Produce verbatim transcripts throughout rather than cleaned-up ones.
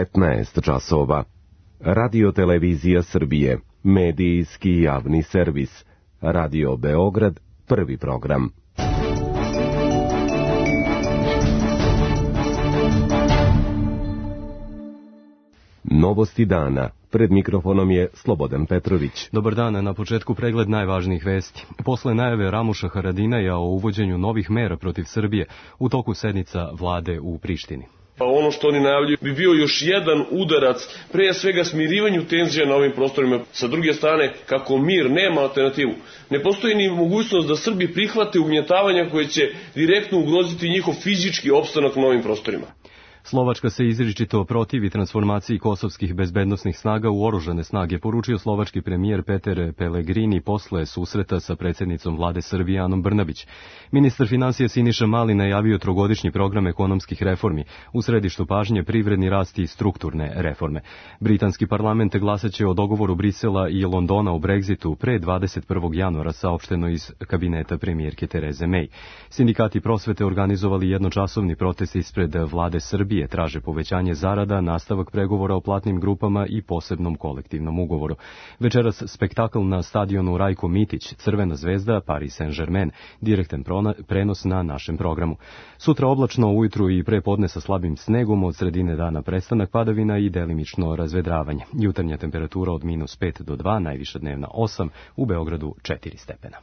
petnaest časova. Radio Televizija Srbije, medijski javni servis. Radio Beograd, prvi program. Novosti dana. Pred mikrofonom je Slobodan Petrović. Dobar dan, na početku pregled najvažnijih vesti. Posle najave Ramuša Haradinaja o uvođenju novih mera protiv Srbije, u toku sednica vlade u Prištini. Ono što oni najavljuju bi bio još jedan udarac, pre svega smirivanju tenzija na ovim prostorima. Sa druge strane, kako mir nema alternativu, ne postoji ni mogućnost da Srbi prihvate ugnjetavanja koje će direktno ugroziti njihov fizički opstanak na ovim prostorima. Slovačka se izričito protivi transformaciji kosovskih bezbednosnih snaga u oružane snage, poručio slovački premijer Peter Pellegrini posle susreta sa predsjednicom vlade Srbije Anom Brnabić. Ministar finansija Siniša Mali najavio trogodišnji program ekonomskih reformi, u središtu pažnje privredni rast i strukturne reforme. Britanski parlament glasaće o dogovoru Brisela i Londona o Brexitu pre dvadeset prvog januara, saopšteno iz kabineta premijerke Tereze May. Sindikati prosvete organizovali jednočasovni protest ispred vlade Srbije, traže povećanje zarada, nastavak pregovora o platnim grupama i posebnom kolektivnom ugovoru. Večeras spektakl na stadionu Rajko Mitić, Crvena zvezda, Paris Saint-Germain, direktan prenos na našem programu. Sutra oblačno, ujutru i prepodne sa slabim snegom, od sredine dana prestanak padavina i delimično razvedravanje. Jutarnja temperatura od minus pet do dva, najviša dnevna osam, u Beogradu četiri stepena.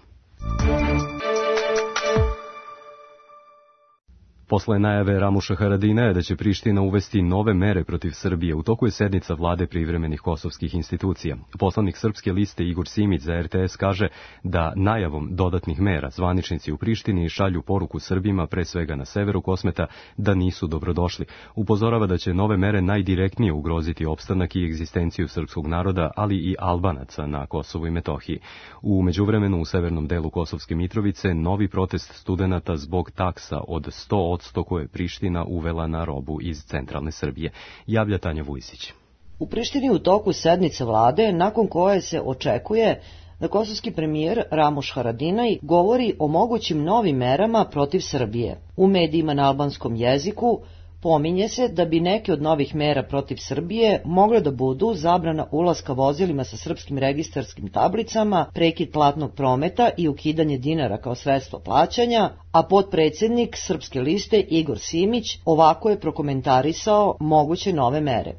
Posle najave Ramuša Haradinaja da će Priština uvesti nove mere protiv Srbije, u toku je sednica vlade privremenih kosovskih institucija. Poslanik Srpske liste Igor Simić za R T S kaže da najavom dodatnih mera zvaničnici u Prištini šalju poruku Srbima, pre svega na severu Kosmeta, da nisu dobrodošli. Upozorava da će nove mere najdirektnije ugroziti opstanak i egzistenciju srpskog naroda, ali i Albanaca na Kosovu i Metohiji. U međuvremenu u severnom delu Kosovske Mitrovice novi protest studenata zbog taksa od sto odsto koje je Priština uvela na robu iz centralne Srbije. Javlja Tanja Vujsić. U Prištini u toku sednice vlade, nakon koje se očekuje da kosovski premijer Ramuš Haradinaj govori o mogućim novim merama protiv Srbije. U medijima na albanskom jeziku pominje se da bi neke od novih mera protiv Srbije mogle da budu zabrana ulaska vozilima sa srpskim registarskim tablicama, prekid platnog prometa i ukidanje dinara kao sredstvo plaćanja, a potpredsjednik Srpske liste Igor Simić ovako je prokomentarisao moguće nove mere.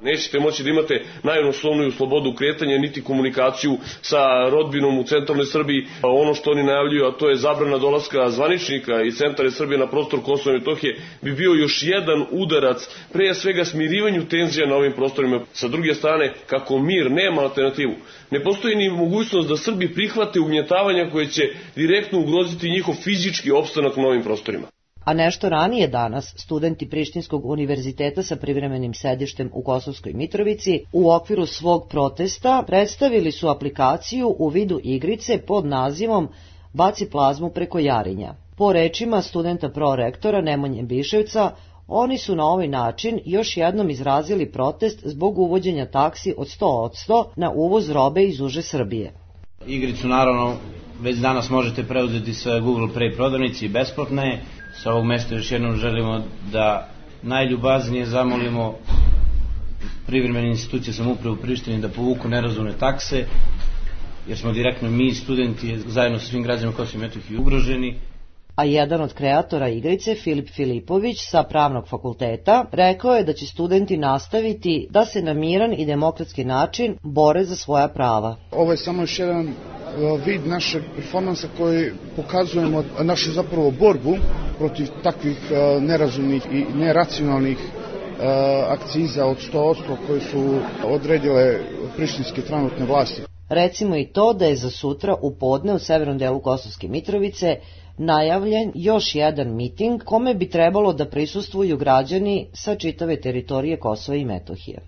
Nećete moći da imate najosnovniju slobodu kretanja, niti komunikaciju sa rodbinom u centralnoj Srbiji. Ono što oni najavljuju, a to je zabrana dolaska zvaničnika iz centralne Srbije na prostor Kosova i Metohije, bi bio još jedan udarac, pre svega smirivanju tenzija na ovim prostorima. Sa druge strane, kako mir nema alternativu, ne postoji ni mogućnost da Srbi prihvate ugnjetavanja koje će direktno ugroziti njihov fizički opstanak na ovim prostorima. A nešto ranije danas, studenti Prištinskog univerziteta sa privremenim sedištem u Kosovskoj Mitrovici u okviru svog protesta predstavili su aplikaciju u vidu igrice pod nazivom Baci plazmu preko Jarinja. Po rečima studenta prorektora Nemanje Biševca, oni su na ovaj način još jednom izrazili protest zbog uvođenja taksi od sto odsto na uvoz robe iz uže Srbije. Igricu naravno već danas možete preuzeti sa Google Play prodavnici i besplatno je. Sa ovog mesta još jednom želimo da najljubaznije zamolimo privremene institucije samouprave u Prištini da povuku nerazumne takse, jer smo direktno mi, studenti, zajedno sa svim građanima Kosova i Metohije ugroženi. A jedan od kreatora igrice, Filip Filipović sa Pravnog fakulteta, rekao je da će studenti nastaviti da se na miran i demokratski način bore za svoja prava. Ovo je samo još jedan vid našeg performansa koji pokazujemo našu zapravo borbu protiv takvih nerazumnih i neracionalnih akciza od sto odsto koje su odredile prištinske trenutne vlasti. Recimo i to da je za sutra u podne u severnom delu Kosovske Mitrovice najavljen još jedan miting kome bi trebalo da prisustvuju građani sa čitave teritorije Kosova i Metohije.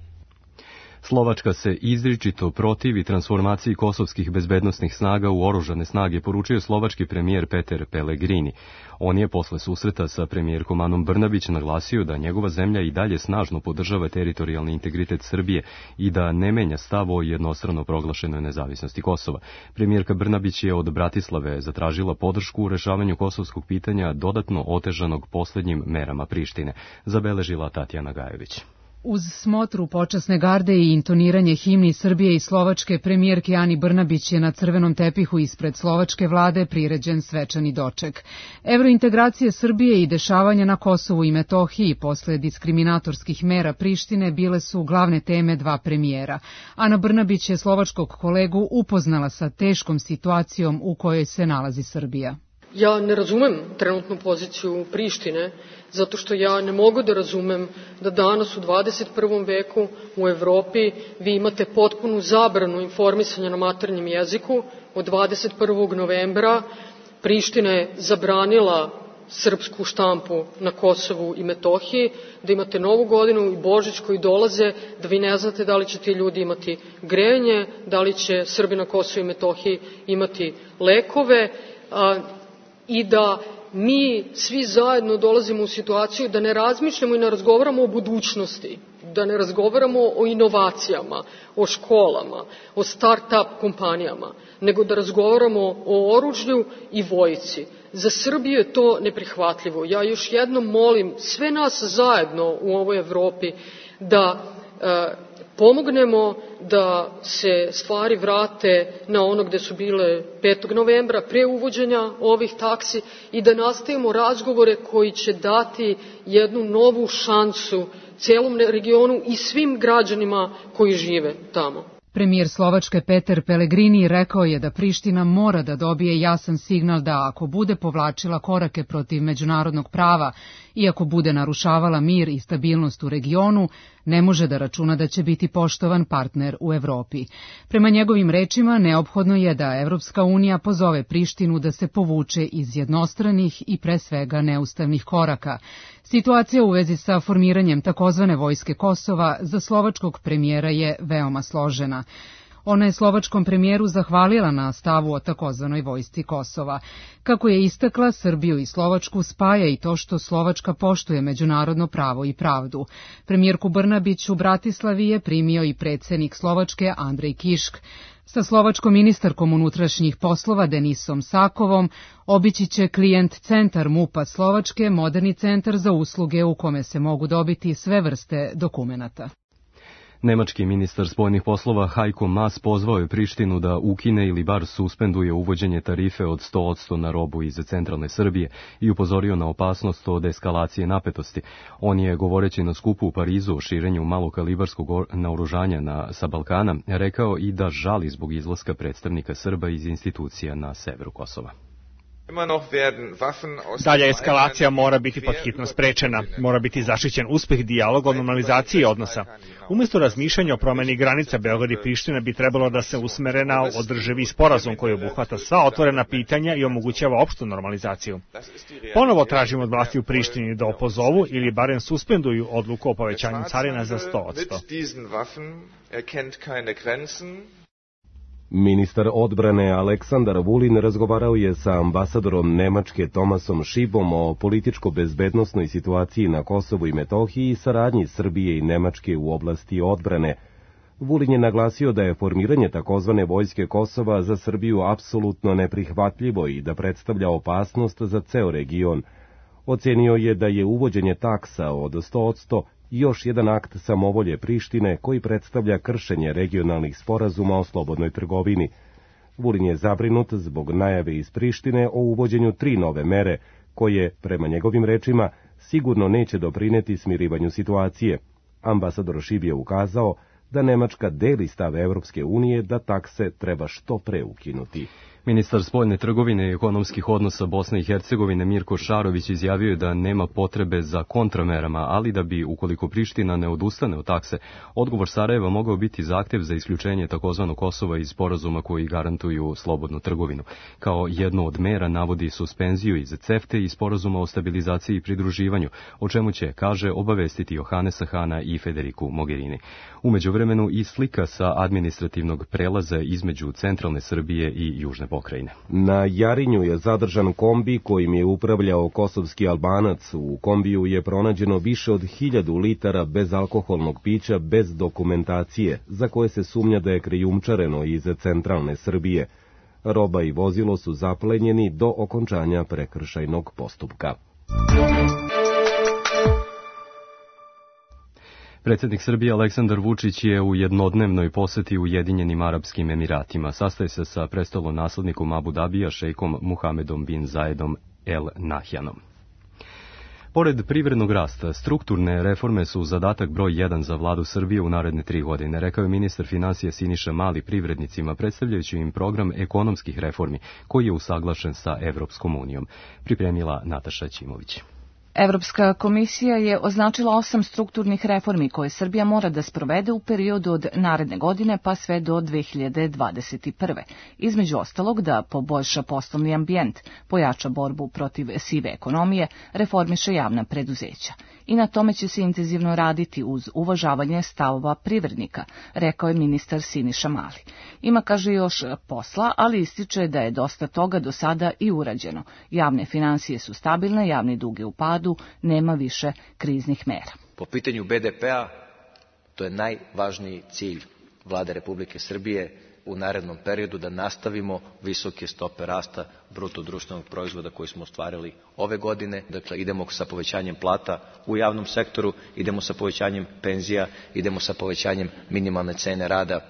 Slovačka se izričito protivi transformaciji kosovskih bezbednosnih snaga u oružane snage, poručio slovački premijer Peter Pellegrini. On je posle susreta sa premijerkom Anom Brnabić naglasio da njegova zemlja i dalje snažno podržava teritorijalni integritet Srbije i da ne menja stav o jednostrano proglašenoj nezavisnosti Kosova. Premijerka Brnabić je od Bratislave zatražila podršku u rešavanju kosovskog pitanja dodatno otežanog poslednjim merama Prištine, zabeležila Tatjana Gajević. Uz smotru počasne garde i intoniranje himni Srbije i Slovačke, premijerki Ani Brnabić je na crvenom tepihu ispred slovačke vlade priređen svečani doček. Evrointegracije Srbije i dešavanja na Kosovu i Metohiji posle diskriminatorskih mera Prištine bile su glavne teme dva premijera. Ana Brnabić je slovačkog kolegu upoznala sa teškom situacijom u kojoj se nalazi Srbija. Ja ne razumem trenutnu poziciju Prištine, zato što ja ne mogu da razumem da danas u dvadeset prvom veku u Evropi vi imate potpunu zabranu informisanja na maternjem jeziku. Od dvadeset prvog novembra Priština je zabranila srpsku štampu na Kosovu i Metohiji, da imate Novu godinu i Božić koji dolaze, da vi ne znate da li će ti ljudi imati grejanje, da li će Srbi na Kosovu i Metohiji imati lekove, a, i da mi svi zajedno dolazimo u situaciju da ne razmišljamo i ne razgovaramo o budućnosti, da ne razgovaramo o inovacijama, o školama, o start-up kompanijama, nego da razgovaramo o oružju i vojsci. Za Srbiju je to neprihvatljivo. Ja još jednom molim sve nas zajedno u ovoj Evropi da e, pomognemo da se stvari vrate na ono gde su bile petog novembra pre uvođenja ovih taksi i da nastavimo razgovore koji će dati jednu novu šansu celom regionu i svim građanima koji žive tamo. Premijer Slovačke Peter Pellegrini rekao je da Priština mora da dobije jasan signal da ako bude povlačila korake protiv međunarodnog prava i ako bude narušavala mir i stabilnost u regionu, ne može da računa da će biti poštovan partner u Evropi. Prema njegovim rečima, neophodno je da Evropska unija pozove Prištinu da se povuče iz jednostranih i pre svega neustavnih koraka. Situacija u vezi sa formiranjem takozvane vojske Kosova za slovačkog premijera je veoma složena. Ona je slovačkom premijeru zahvalila na stavu o takozvanoj vojsci Kosova. Kako je istakla, Srbiju i Slovačku spaja i to što Slovačka poštuje međunarodno pravo i pravdu. Premijerku Brnabić u Bratislavi je primio i predsednik Slovačke Andrej Kišk. Sa slovačkom ministarkom unutrašnjih poslova Denisom Sakovom obići će klijent centar MUP-a Slovačke, moderni centar za usluge u kome se mogu dobiti sve vrste dokumenata. Nemački ministar spoljnih poslova Heiko Maas pozvao je Prištinu da ukine ili bar suspenduje uvođenje tarife od sto posto na robu iz centralne Srbije i upozorio na opasnost od eskalacije napetosti. On je, govoreći na skupu u Parizu o širenju malokalibarskog naoružanja na, sa Balkana, rekao i da žali zbog izlaska predstavnika Srba iz institucija na severu Kosova. Dalja eskalacija mora biti pod hitno sprečena. Mora biti zaštićen uspeh dijaloga o normalizaciji odnosa. Umjesto razmišljanja o promeni granica, Beograd i Priština bi trebalo da se usmere na održivi sporazum koji obuhvata sva otvorena pitanja i omogućava opštu normalizaciju. Ponovo tražimo od vlasti u Prištini da opozovu ili barem suspenduju odluku o povećanju carina za sto posto. Ministar odbrane Aleksandar Vulin razgovarao je sa ambasadorom Nemačke Tomasom Šibom o političko-bezbednosnoj situaciji na Kosovu i Metohiji i saradnji Srbije i Nemačke u oblasti odbrane. Vulin je naglasio da je formiranje takozvane vojske Kosova za Srbiju apsolutno neprihvatljivo i da predstavlja opasnost za ceo region. Ocenio je da je uvođenje taksa od sto posto još jedan akt samovolje Prištine koji predstavlja kršenje regionalnih sporazuma o slobodnoj trgovini. Vulin je zabrinut zbog najave iz Prištine o uvođenju tri nove mere, koje, prema njegovim rečima, sigurno neće doprineti smirivanju situacije. Ambasador Šib je ukazao da Nemačka deli stav Evropske unije da takse treba što pre ukinuti. Ministar spoljne trgovine i ekonomskih odnosa Bosne i Hercegovine Mirko Šarović izjavio je da nema potrebe za kontramerama, ali da bi, ukoliko Priština ne odustane od takse, odgovor Sarajeva mogao biti zahtev za isključenje takozvanog Kosova iz sporazuma koji garantuju slobodnu trgovinu. Kao jednu od mera navodi suspenziju iz CEFTE i sporazuma o stabilizaciji i pridruživanju, o čemu će, kaže, obavestiti Johanesa Hana i Federiku Mogherini. U međuvremenu i slika sa administrativnog prelaza između centralne Srbije i južne pokrajine. Na Jarinju je zadržan kombi kojim je upravljao kosovski Albanac. U kombiju je pronađeno više od hiljadu litara bezalkoholnog pića bez dokumentacije, za koje se sumnja da je krijumčareno iz centralne Srbije. Roba i vozilo su zaplenjeni do okončanja prekršajnog postupka. Predsjednik Srbije Aleksandar Vučić je u jednodnevnoj poseti Ujedinjenim Arapskim Emiratima. Sastaje se sa prestolonaslednikom Abu Dabija, šejkom Muhamedom bin Zayedom El Nahjanom. Pored privrednog rasta, strukturne reforme su zadatak broj jedan za vladu Srbije u naredne tri godine, rekao je ministar finansija Siniša Mali privrednicima, predstavljajući im program ekonomskih reformi, koji je usaglašen sa Evropskom unijom. Pripremila Nataša Ćimović. Evropska komisija je označila osam strukturnih reformi koje Srbija mora da sprovede u periodu od naredne godine pa sve do dve hiljade dvadeset prve. Između ostalog da poboljša poslovni ambijent, pojača borbu protiv sive ekonomije, reformiše javna preduzeća. I na tome će se intenzivno raditi uz uvažavanje stavova privrednika, rekao je ministar Siniša Mali. Ima, kaže, još posla, ali ističe da je dosta toga do sada i urađeno. Javne finansije su stabilne, javni dug je u padu, nema više kriznih mera. Po pitanju be de pe-a, to je najvažniji cilj Vlade Republike Srbije u narednom periodu, da nastavimo visoke stope rasta bruto društvenog proizvoda koji smo ostvarili ove godine. Dakle, idemo sa povećanjem plata u javnom sektoru, idemo sa povećanjem penzija, idemo sa povećanjem minimalne cene rada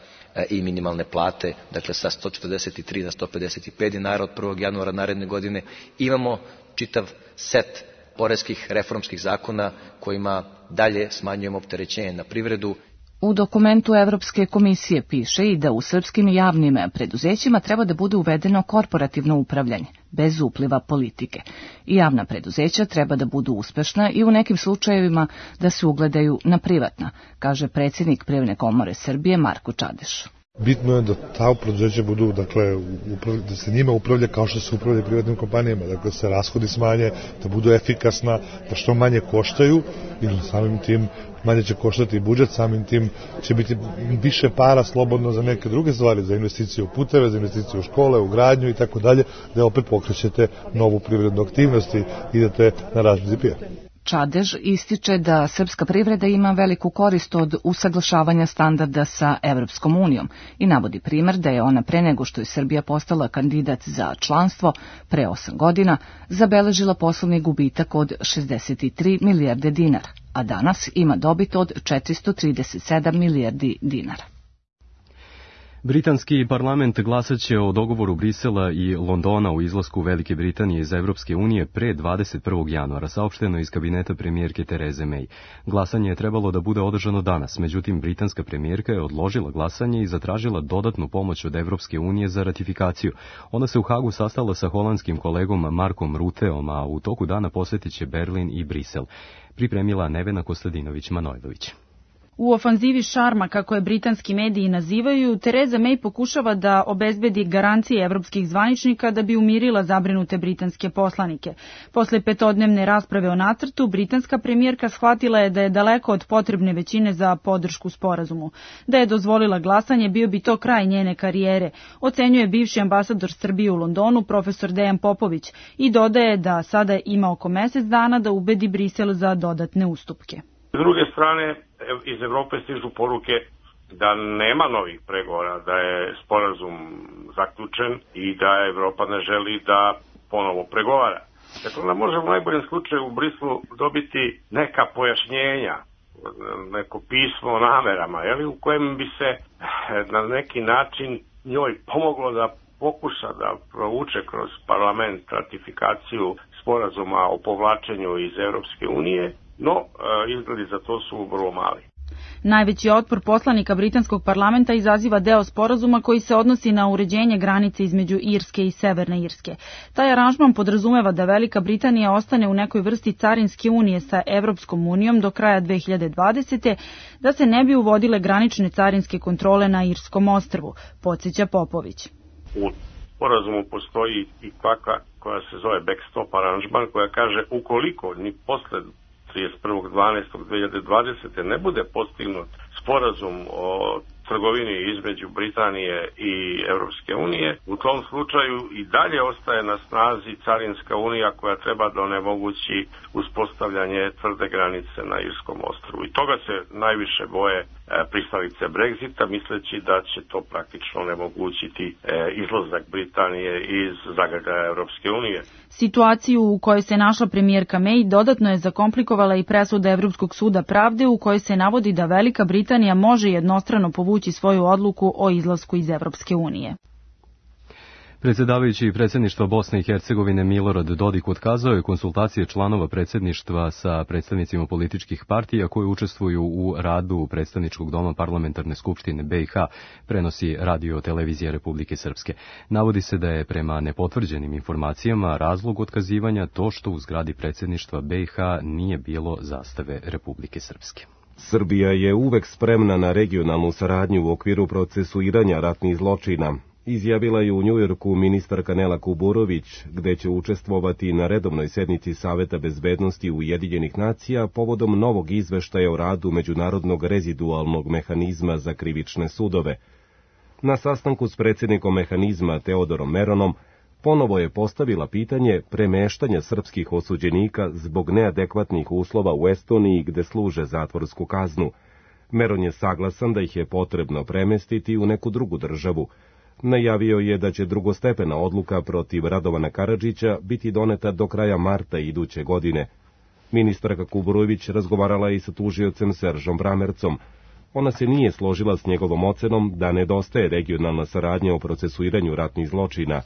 i minimalne plate, dakle sa sto četrdeset tri na sto pedeset pet dinara od prvog januara naredne godine. Imamo čitav set poreskih reformskih zakona kojima dalje smanjujemo opterećenje na privredu. U dokumentu Evropske komisije piše i da u srpskim javnim preduzećima treba da bude uvedeno korporativno upravljanje, bez upliva politike. I javna preduzeća treba da budu uspešna i u nekim slučajevima da se ugledaju na privatna, kaže predsjednik Privredne komore Srbije Marko Čadeš. Bitno je da ta preduzeća budu, dakle, da se njima upravlja kao što se upravlja privatnim kompanijama, dakle, da se rashodi smanje, da budu efikasna, da što manje koštaju i samim tim manje će koštati i budžet, samim tim će biti više para slobodno za neke druge stvari, za investicije u puteve, za investicije u škole, u gradnju i tako dalje, da opet pokrećete novu privrednu aktivnost i idete na rast be de pe-a. Čadež ističe da srpska privreda ima veliku korist od usaglašavanja standarda sa Evropskom unijom i navodi primer da je ona pre nego što je Srbija postala kandidat za članstvo pre osam godina zabeležila poslovni gubitak od šezdeset tri milijarde dinara, a danas ima dobit od četiristo trideset sedam milijardi dinara. Britanski parlament glasaće o dogovoru Brisela i Londona u izlasku Velike Britanije iz Evropske unije pre dvadeset prvog januara, saopšteno iz kabineta premijerke Tereze May. Glasanje je trebalo da bude održano danas, međutim britanska premijerka je odložila glasanje i zatražila dodatnu pomoć od Evropske unije za ratifikaciju. Ona se u Hagu sastala sa holandskim kolegom Markom Ruteom, a u toku dana posjetit će Berlin i Brisel. Pripremila Nevena Kostadinović-Manojlović. U ofanzivi šarma, kako je britanski mediji nazivaju, Tereza May pokušava da obezbedi garancije evropskih zvaničnika da bi umirila zabrinute britanske poslanike. Posle petodnevne rasprave o nacrtu, britanska premijerka shvatila je da je daleko od potrebne većine za podršku sporazumu. Da je dozvolila glasanje, bio bi to kraj njene karijere, ocenjuje bivši ambasador Srbije u Londonu, profesor Dejan Popović, i dodaje da sada ima oko mesec dana da ubedi Brisel za dodatne ustupke. S druge strane, iz Evrope stižu poruke da nema novih pregovora, da je sporazum zaključen i da Evropa ne želi da ponovo pregovara. Dakle, onda možemo u najboljem slučaju u Brislu dobiti neka pojašnjenja, neko pismo o namerama, jeli, u kojem bi se na neki način njoj pomoglo da pokuša da provuče kroz parlament ratifikaciju sporazuma o povlačenju iz Evropske unije, no izgledi za to su vrlo mali. Najveći otpor poslanika britanskog parlamenta izaziva deo sporazuma koji se odnosi na uređenje granice između Irske i Severne Irske. Taj aranžman podrazumeva da Velika Britanija ostane u nekoj vrsti carinske unije sa Evropskom unijom do kraja dve hiljade dvadesete. da se ne bi uvodile granične carinske kontrole na Irskom ostrvu, podsjeća Popović. U sporazumu postoji i kvaka koja se zove backstop aranžman, koja kaže ukoliko ni posle trideset prvog dvanaestog dve hiljade dvadesete. ne bude postignut sporazum o trgovini između Britanije i Evropske unije, u tom slučaju i dalje ostaje na snazi carinska unija koja treba da onemogući uspostavljanje tvrde granice na Irskom ostrvu. I toga se najviše boje pristalice Brexita, misleći da će to praktično onemogućiti izlazak Britanije iz zagrljaja Evropske unije. Situaciju u kojoj se našla premijerka May dodatno je zakomplikovala i presuda Evropskog suda pravde u kojoj se navodi da Velika Britanija može jednostrano povući svoju odluku o izlasku iz Evropske unije. Predsjedavajući predsjedništva Bosne i Hercegovine Milorad Dodik otkazao je konsultacije članova predsjedništva sa predstavnicima političkih partija koji učestvuju u radu predstavničkog doma Parlamentarne skupštine B i H, prenosi Radio Televizija Republike Srpske. Navodi se da je prema nepotvrđenim informacijama razlog otkazivanja to što u zgradi predsjedništva B i H nije bilo zastave Republike Srpske. Srbija je uvek spremna na regionalnu saradnju u okviru procesuiranja ratnih zločina. Izjavila je u Njujorku ministarka Nela Kuburović, gde će učestvovati na redovnoj sednici Saveta bezbednosti Ujedinjenih nacija povodom novog izveštaja o radu Međunarodnog rezidualnog mehanizma za krivične sudove. Na sastanku s predsjednikom mehanizma Teodorom Meronom ponovo je postavila pitanje premeštanja srpskih osuđenika zbog neadekvatnih uslova u Estoniji gde služe zatvorsku kaznu. Meron je saglasan da ih je potrebno premestiti u neku drugu državu. Najavio je da će drugostepena odluka protiv Radovana Karadžića biti doneta do kraja marta iduće godine. Ministarka Kuburović razgovarala i sa tužiocem Seržom Bramercom. Ona se nije složila s njegovom ocenom da nedostaje regionalna saradnja o procesuiranju ratnih zločina.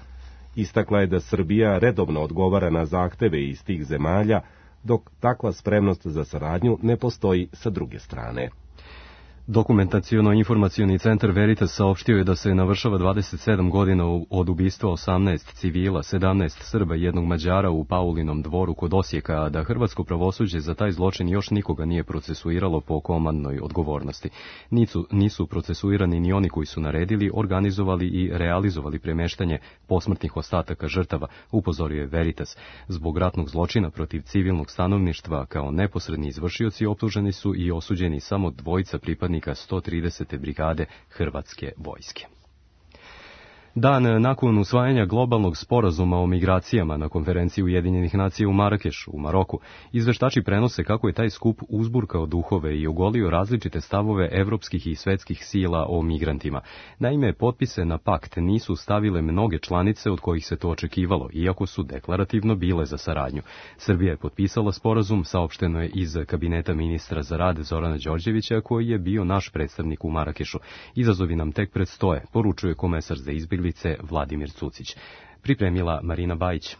Istakla je da Srbija redovno odgovara na zahteve iz tih zemalja, dok takva spremnost za saradnju ne postoji sa druge strane. Dokumentaciono-informacioni centar Veritas saopštio je da se navršava dvadeset sedam godina od ubistva osamnaest civila, sedamnaest Srba i jednog Mađara u Paulinom dvoru kod Osijeka, a da hrvatsko pravosuđe za taj zločin još nikoga nije procesuiralo po komandnoj odgovornosti. Nisu, nisu procesuirani ni oni koji su naredili, organizovali i realizovali premeštanje posmrtnih ostataka žrtava, upozorio je Veritas. Zbog ratnog zločina protiv civilnog stanovništva kao neposredni izvršioci optuženi su i osuđeni samo dvojica pripadnika sto tridesete brigade Hrvatske vojske. Dan nakon usvajanja globalnog sporazuma o migracijama na konferenciji Ujedinjenih nacija u Marakešu, u Maroku, izveštači prenose kako je taj skup uzburkao duhove i ogolio različite stavove evropskih i svetskih sila o migrantima. Naime, potpise na pakt nisu stavile mnoge članice od kojih se to očekivalo, iako su deklarativno bile za saradnju. Srbija je potpisala sporazum, saopšteno je iz kabineta ministra za rad Zorana Đorđevića, koji je bio naš predstavnik u Marakešu. Izazovi nam tek predstoje, poručuje komesar za izbjeglice Vladimir Cucić. Pripremila Marina Bajić.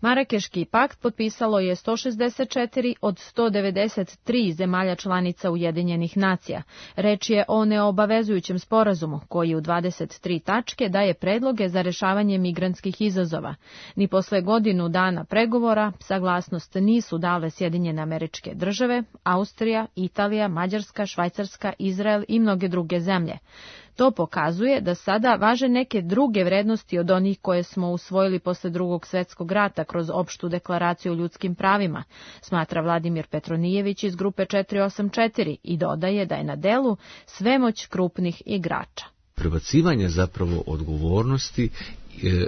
Marakeški pakt potpisalo je sto šezdeset četiri od sto devedeset tri zemalja članica Ujedinjenih nacija. Reč je o neobavezujućem sporazumu koji u dvadeset tri tačke daje predloge za rešavanje migrantskih izazova. Ni posle godinu dana pregovora saglasnost nisu dale Sjedinjene Američke Države, Austrija, Italija, Mađarska, Švajcarska, Izrael i mnoge druge zemlje. To pokazuje da sada važe neke druge vrednosti od onih koje smo usvojili posle Drugog svetskog rata kroz opštu deklaraciju o ljudskim pravima, smatra Vladimir Petronijević iz grupe četiri osam četiri i dodaje da je na delu svemoć krupnih igrača. Prebacivanje zapravo odgovornosti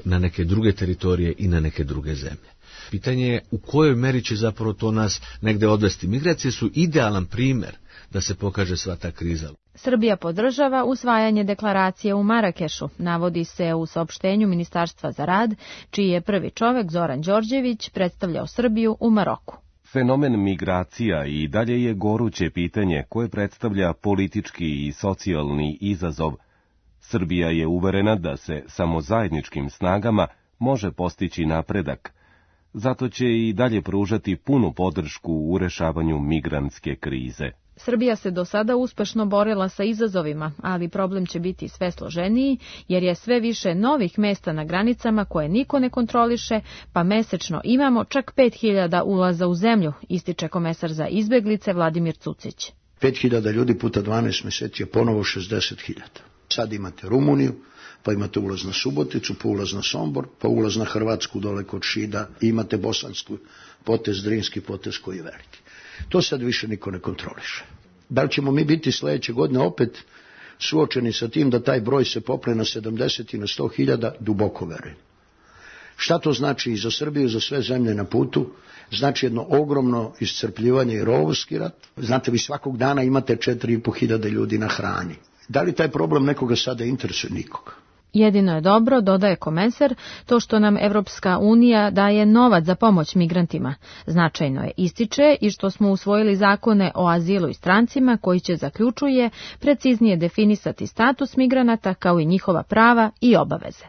na neke druge teritorije i na neke druge zemlje. Pitanje je u kojoj meri će zapravo to nas negde odvesti. Migracije su idealan primjer da se pokaže sva ta kriza. Srbija podržava usvajanje deklaracije u Marakešu, navodi se u saopštenju Ministarstva za rad, čiji je prvi čovek Zoran Đorđević predstavljao Srbiju u Maroku. Fenomen migracija i dalje je goruće pitanje koje predstavlja politički i socijalni izazov. Srbija je uverena da se samo zajedničkim snagama može postići napredak. Zato će i dalje pružati punu podršku u rešavanju migrantske krize. Srbija se do sada uspešno borila sa izazovima, ali problem će biti sve složeniji, jer je sve više novih mesta na granicama koje niko ne kontroliše, pa mesečno imamo čak pet hiljada ulaza u zemlju, ističe komesar za izbeglice Vladimir Cucić. pet hiljada ljudi puta dvanaest meseci je ponovo šezdeset hiljada. Sad imate Rumuniju, pa imate ulaz na Suboticu, pa ulaz na Sombor, pa ulaz na Hrvatsku dole kod Šida, i imate bosansku potez, Drinski potez koji je veliki. To sad više niko ne kontroliše. Da li ćemo mi biti sledeće godine opet suočeni sa tim da taj broj se popne na sedamdeset i na sto hiljada, duboko verujem. Šta to znači i za Srbiju i za sve zemlje na putu? Znači jedno ogromno iscrpljivanje i rovovski rat. Znate, vi svakog dana imate četiri i po hiljade ljudi na hrani. Da li taj problem nekoga sada interesuje? Nikoga. Jedino je dobro, dodaje Komesar, to što nam Evropska unija daje novac za pomoć migrantima. Značajno je, ističe, i što smo usvojili zakone o azilu i strancima koji će, zaključuje, preciznije definisati status migranata kao i njihova prava i obaveze.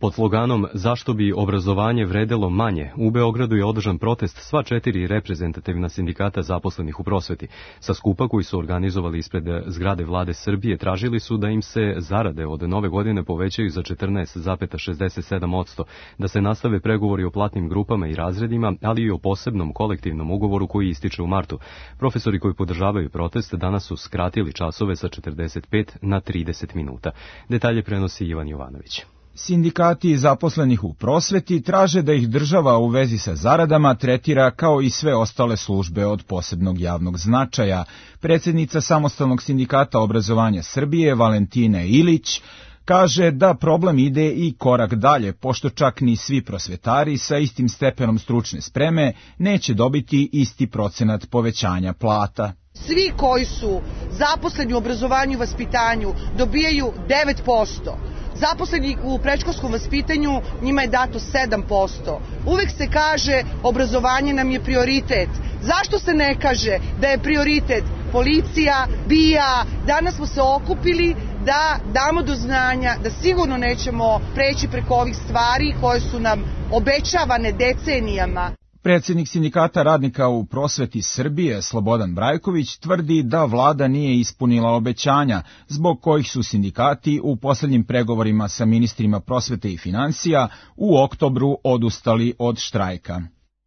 Pod sloganom "Zašto bi obrazovanje vredelo manje" u Beogradu je održan protest sva četiri reprezentativna sindikata zaposlenih u prosveti. Sa skupa koji su organizovali ispred zgrade Vlade Srbije tražili su da im se zarade od nove godine povećaju za četrnaest zarez šezdeset sedam posto, da se nastave pregovori o platnim grupama i razredima, ali i o posebnom kolektivnom ugovoru koji ističe u martu. Profesori koji podržavaju protest danas su skratili časove sa četrdeset pet na trideset minuta. Detalje prenosi Ivan Jovanović. Sindikati zaposlenih u prosveti traže da ih država u vezi sa zaradama tretira kao i sve ostale službe od posebnog javnog značaja. Predsjednica Samostalnog sindikata obrazovanja Srbije, Valentina Ilić, kaže da problem ide i korak dalje, pošto čak ni svi prosvetari sa istim stepenom stručne spreme neće dobiti isti procenat povećanja plata. Svi koji su zaposleni u obrazovanju i vaspitanju dobijaju devet posto. Zaposleni u predškolskom vaspitanju njima je dato sedam posto. Uvek se kaže obrazovanje nam je prioritet. Zašto se ne kaže da je prioritet policija, B I A? Danas smo se okupili da damo do znanja da sigurno nećemo preći preko ovih stvari koje su nam obećavane decenijama. Predsjednik sindikata radnika u prosveti Srbije, Slobodan Brajković, tvrdi da vlada nije ispunila obećanja, zbog kojih su sindikati u posljednjim pregovorima sa ministrima prosvete i financija u oktobru odustali od štrajka.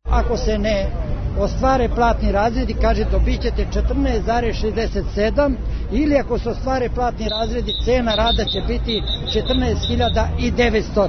Ako se ne ostvare platni razredi, kaže dobit ćete četrnaest zarez šezdeset sedam, ili ako se ostvare platni razredi, cena rada će biti četrnaest hiljada devetsto.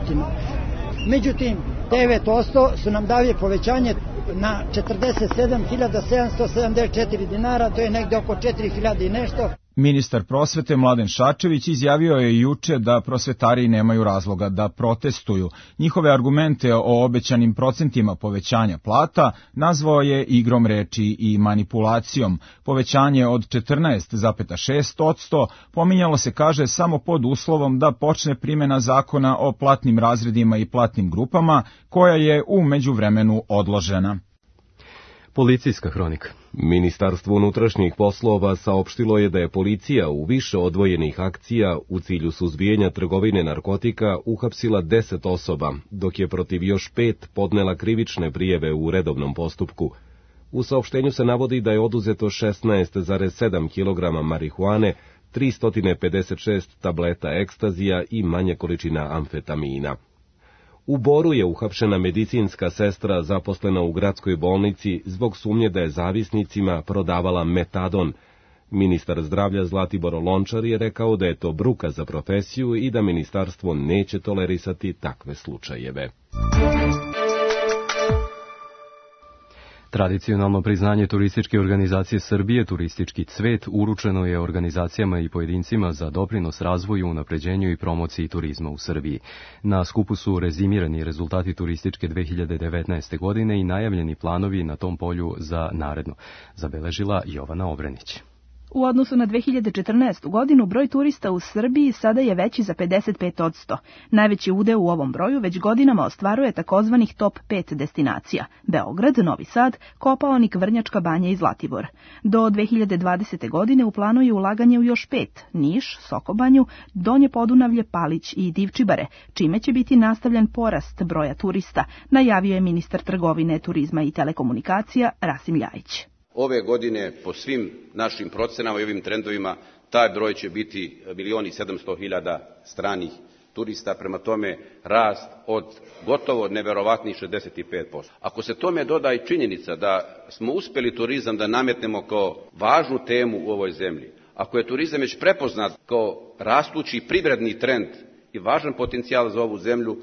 Međutim, devet posto su nam dali povećanje na četrdeset sedam hiljada sedamsto sedamdeset četiri dinara, to je negde oko četiri hiljade i nešto. Ministar prosvete Mladen Šarčević izjavio je juče da prosvetari nemaju razloga da protestuju. Njihove argumente o obećanim procentima povećanja plata nazvao je igrom reči i manipulacijom. Povećanje od četrnaest zarez šest posto pominjalo se, kaže, samo pod uslovom da počne primjena zakona o platnim razredima i platnim grupama, koja je u međuvremenu odložena. Policijska hronika. Ministarstvo unutrašnjih poslova saopštilo je da je policija u više odvojenih akcija u cilju suzbijanja trgovine narkotika uhapsila deset osoba, dok je protiv još pet podnela krivične prijeve u redovnom postupku. U saopštenju se navodi da je oduzeto šesnaest zarez sedam kilograma marihuane, tristo pedeset šest tableta ekstazija i manje količina amfetamina. U Boru je uhapšena medicinska sestra zaposlena u gradskoj bolnici zbog sumnje da je zavisnicima prodavala metadon. Ministar zdravlja Zlatibor Lončar je rekao da je to bruka za profesiju i da ministarstvo neće tolerisati takve slučajeve. Tradicionalno priznanje Turističke organizacije Srbije, Turistički cvet, uručeno je organizacijama i pojedincima za doprinos razvoju, unapređenju i promociji turizma u Srbiji. Na skupu su rezimirani rezultati turističke dve hiljade devetnaeste. godine i najavljeni planovi na tom polju za naredno, zabeležila Jovana Obrenić. U odnosu na dve hiljade četrnaestu. godinu broj turista u Srbiji sada je veći za pedeset pet posto. Najveći udeo u ovom broju već godinama ostvaruje takozvanih top pet destinacija: Beograd, Novi Sad, Kopaonik, Vrnjačka Banja i Zlatibor. Do dve hiljade dvadesete. godine u planu je ulaganje u još pet: Niš, Sokobanju, Donje Podunavlje, Palić i Divčibare, čime će biti nastavljen porast broja turista, najavio je ministar trgovine, turizma i telekomunikacija Rasim Ljajić. Ove godine, po svim našim procenama i ovim trendovima, taj broj će biti milion i sedamsto hiljada stranih turista, prema tome rast od gotovo neverovatnih šezdeset pet posto. Ako se tome doda i činjenica da smo uspjeli turizam da nametnemo kao važnu temu u ovoj zemlji, ako je turizam već prepoznat kao rastući privredni trend i važan potencijal za ovu zemlju,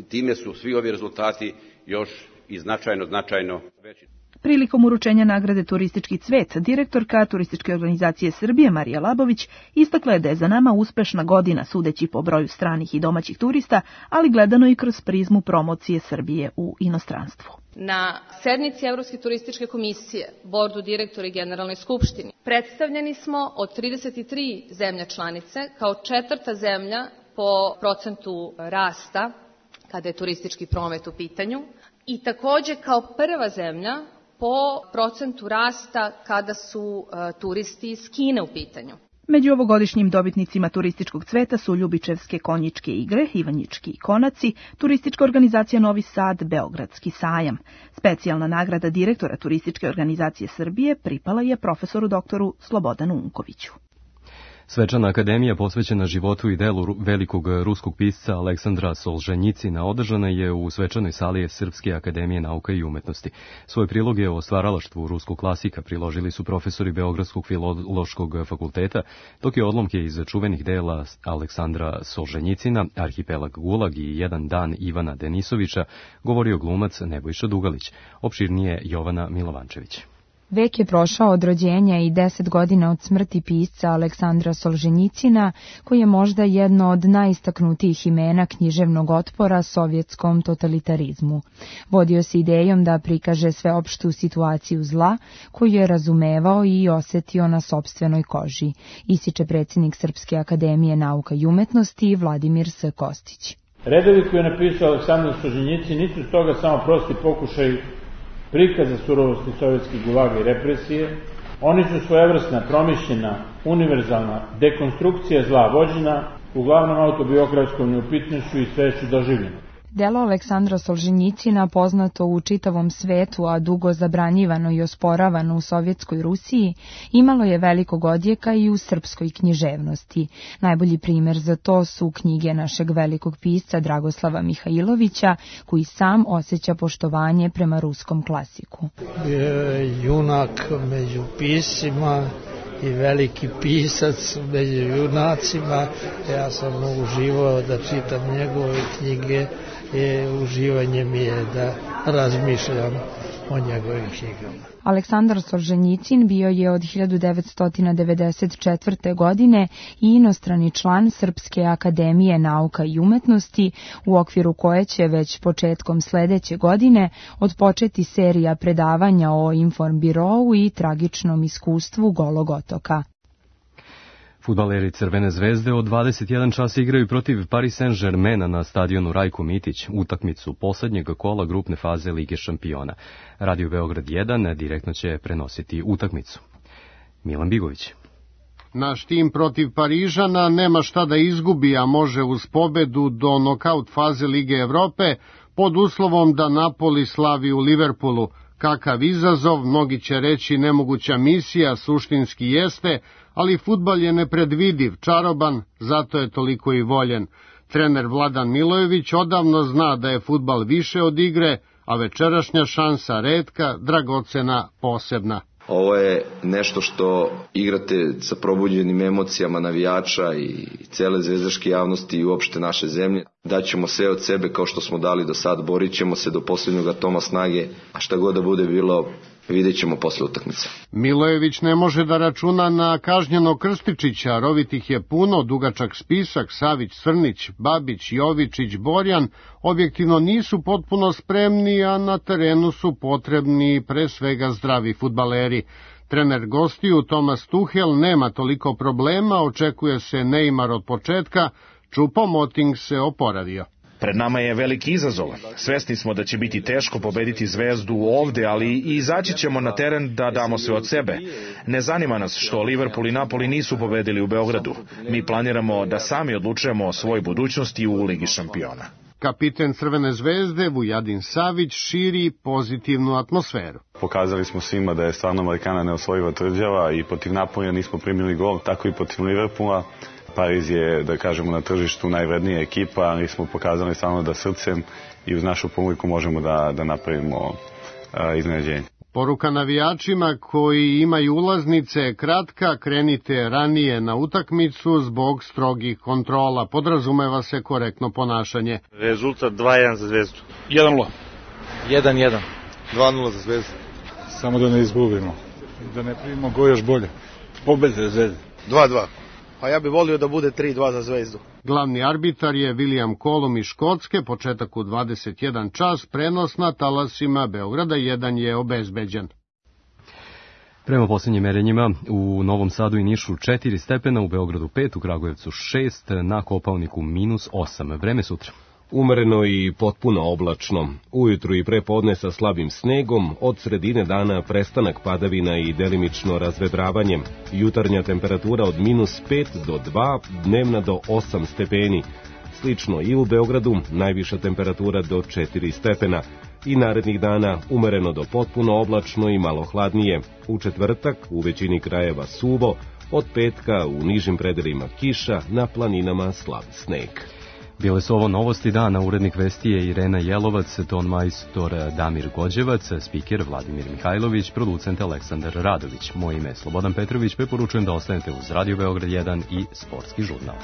time su svi ovi rezultati još i značajno, značajno veći. Prilikom uručenja nagrade Turistički cvet, direktorka Turističke organizacije Srbije Marija Labović istakla je da je za nama uspešna godina sudeći po broju stranih i domaćih turista, ali gledano i kroz prizmu promocije Srbije u inostranstvu. Na sednici Evropske turističke komisije, bordu direktora i generalnoj skupštini, predstavljeni smo od trideset tri zemlje članice kao četvrta zemlja po procentu rasta kada je turistički promet u pitanju i takođe kao prva zemlja po procentu rasta kada su uh, turisti iz Kine u pitanju. Među ovogodišnjim dobitnicima turističkog cveta su Ljubičevske konjičke igre, Ivanjički konaci, turistička organizacija Novi Sad, Beogradski sajam. Specijalna nagrada direktora Turističke organizacije Srbije pripala je profesoru doktoru Slobodanu Unkoviću. Svečana akademija posvećena životu i delu velikog ruskog pisca Aleksandra Solženjicina održana je u svečanoj sali Srpske akademije nauka i umetnosti. Svoje priloge o stvaralaštvu ruskog klasika priložili su profesori Beogradskog filološkog fakulteta, dok je odlomke iz čuvenih dela Aleksandra Solženjicina, Arhipelag Gulag i Jedan dan Ivana Denisovića govorio glumac Nebojša Dugalić. Opširnije Jovana Milovančević. Vek je prošao od rođenja i deset godina od smrti pisca Aleksandra Solženjicina, koji je možda jedno od najistaknutijih imena književnog otpora sovjetskom totalitarizmu. Vodio se idejom da prikaže sveopštu situaciju zla, koju je razumevao i osetio na sopstvenoj koži, ističe predsjednik Srpske akademije nauka i umetnosti Vladimir S. Kostić. Redovi koje je napisao Aleksandar Solženjicin nisu stoga samo prosti pokušaj prikaza surovosti sovjetskih gulaga i represije, oni su svojevrsna, promišljena, univerzalna dekonstrukcija zla vođena, uglavnom autobiografskom neupitnošću i sveću doživljenog. Delo Aleksandra Solženjicina, poznato u čitavom svetu, a dugo zabranjivano i osporavano u Sovjetskoj Rusiji, imalo je velikog odjeka i u srpskoj književnosti. Najbolji primjer za to su knjige našeg velikog pisca Dragoslava Mihajlovića, koji sam osjeća poštovanje prema ruskom klasiku. Junak među piscima i veliki pisac među junacima. Ja sam uživao da čitam njegove knjige i uživanje mi je da razmišljam o njegovim knjigama. Aleksandar Solženjicin bio je od hiljadu devetsto devedeset četvrte. godine i inostrani član Srpske akademije nauka i umetnosti, u okviru koje će već početkom sledeće godine odpočeti serija predavanja o informbirou i tragičnom iskustvu Golog otoka. Fudbaleri Crvene zvezde od dvadeset jedan čas igraju protiv Paris Saint-Germaina na stadionu Rajko Mitić, utakmicu poslednjeg kola grupne faze Lige šampiona. Radio Beograd jedan direktno će prenositi utakmicu. Milan Bigović. Naš tim protiv Parižana nema šta da izgubi, a može uz pobedu do nokaut faze Lige Evrope, pod uslovom da Napoli slavi u Liverpoolu. Kakav izazov, mnogi će reći nemoguća misija, suštinski jeste, ali fudbal je nepredvidiv, čaroban, zato je toliko i voljen. Trener Vladan Milojević odavno zna da je fudbal više od igre, a večerašnja šansa retka, dragocena, posebna. Ovo je nešto što igrate sa probuđenim emocijama navijača i cele zvezdaške javnosti i uopšte naše zemlje. Daćemo sve od sebe kao što smo dali do sad, borit ćemo se do posljednjeg atoma snage, a šta god da bude bilo, vidjet ćemo posle utakmice. Milojević ne može da računa na kažnjeno Krstičića, rovitih je puno, dugačak spisak, Savić, Srnić, Babić, Jovičić, Borjan, objektivno nisu potpuno spremni, a na terenu su potrebni pre svega zdravi fudbaleri. Trener gostiju Tomas Tuhel nema toliko problema, očekuje se Neymar od početka, Choupo-Moting se oporavio. Pred nama je veliki izazov. Svesni smo da će biti teško pobediti Zvezdu ovde, ali i izaći ćemo na teren da damo sve od sebe. Ne zanima nas što Liverpool i Napoli nisu pobedili u Beogradu. Mi planiramo da sami odlučujemo o svojoj budućnosti u Ligi šampiona. Kapiten Crvene zvezde Vujadin Savić širi pozitivnu atmosferu. Pokazali smo svima da je stvarno Amerikana neosvojiva tvrđava i protiv Napolija nismo primili gol, tako i protiv Liverpoola. Pariz je, da kažemo, na tržištu najvrednija ekipa, ali smo pokazali stvarno da srcem i uz našu publiku možemo da, da napravimo a, iznenađenje. Poruka navijačima koji imaju ulaznice kratka, krenite ranije na utakmicu zbog strogih kontrola. Podrazumeva se korektno ponašanje. Rezultat dva jedan za Zvezdu. jedan nula. jedan jedan. dva nula za Zvezdu. samo da ne izgubimo. Da ne primimo go još bolje. Pobede Zvezde. dva dva. A ja bih volio da bude tri dva za Zvezdu. Glavni arbitar je William Colum iz Škotske, početak u dvadeset jedan čas, prenos na talasima Beograda jedan je obezbeđen. Prema posljednjim merenjima u Novom Sadu i Nišu četiri stepena, u Beogradu pet, u Kragujevcu šest, na Kopaoniku minus osam. Vreme sutra. Umereno i potpuno oblačno. Ujutru i prepodne sa slabim snegom, od sredine dana prestanak padavina i delimično razvedravanje. Jutarnja temperatura od minus pet do dva, dnevna do osam stepeni. Slično i u Beogradu, najviša temperatura do četiri stepena. I narednih dana umereno do potpuno oblačno i malo hladnije. U četvrtak u većini krajeva suvo, od petka u nižim predelima kiša, na planinama slab sneg. Bile su ovo novosti dana, urednik vesti je Irena Jelovac, ton majstor Damir Gođevac, spiker Vladimir Mihajlović, producent Aleksandar Radović. Moje ime je Slobodan Petrović, preporučujem da ostanete uz Radio Beograd jedan i Sportski žurnal.